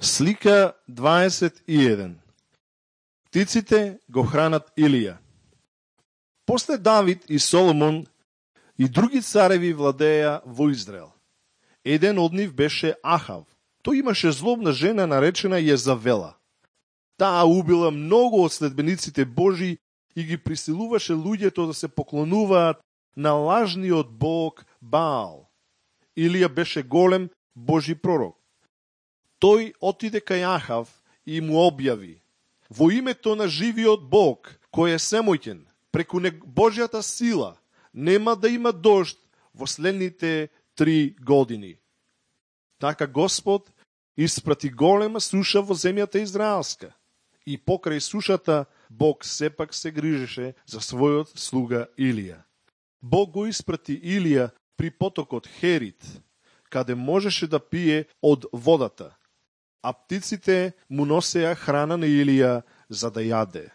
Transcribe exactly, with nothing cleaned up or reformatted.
Слика дваесет и еден. Птиците го хранат Илија. После Давид и Соломон и други цареви владеја во Израел. Еден од нив беше Ахав. Тој имаше злобна жена наречена Језавела. Таа убила многу од следбениците Божи и ги присилуваше луѓето да се поклонуваат на лажниот бог Баал. Илија беше голем Божи пророк. Тој отиде кај Ахав и му објави: во името на живиот Бог, кој е семоќен, преку Божјата сила, нема да има дожд во следните три години. Така Господ испрати голема суша во земјата израелска. И покрај сушата Бог сепак се грижеше за својот слуга Илија. Бог го испрати Илија при потокот Херит, каде можеше да пие од водата, а птиците му носеа храна на Илија за да јаде.